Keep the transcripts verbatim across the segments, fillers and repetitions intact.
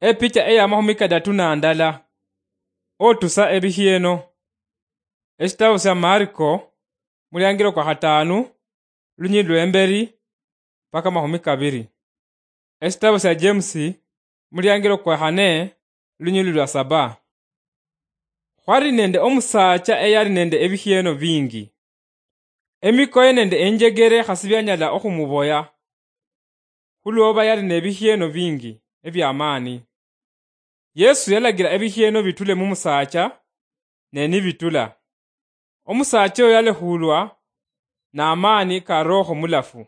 Epicha eya mahumi kadatu na ndala. Otusa ebikhieno. Eshitabu sya Mariko, muliangilo kwa khatanu, lunyili lwemberi, paka mahumi kabiri. Eshitabu sya James, muliangilo kwa khane, lunyili lwa saba. Khwali nende omusaacha eyali nende ebikhieno bingi. Emikoye nende enjegere khasi byanyala okhumuboya, khulwoba yali nebikhieno bingi ebyamaani. Yesu yalagira ebikhieno bitule mumusaacha, ne nibitula. Omusaacha oyo yalekhulwa n'amaani ka Roho Mulafu.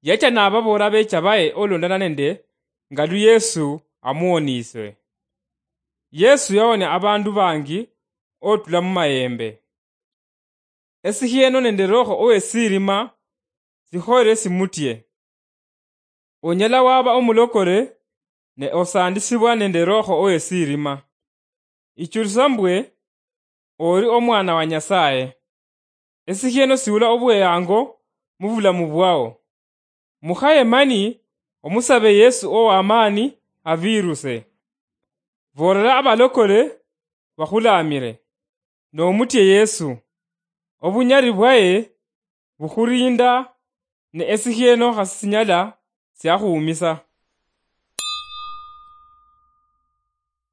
Yacha nababool'abeecha baye olondana nende nga lu Yesu amuwoniiswe. Yesu yawonia abandu bangi otula mumayembe. Esikhieno nende Roho owesirima sikhoyere simutie. Onyala waba omulokole ne osandisibwa nende Roho owesirima. Ichulisa mbwe ori omwana wa Nyasaye. Esikhieno siula obweyango mubulamu bwao. Mukhaye mani omusabe Yesu owamaani aviruse. Vorera abalokole bakhulamire, nomutie Yesu. Obunyali bwaye bukhurinda, ne esikhieno khasisinyala siakhuumisa.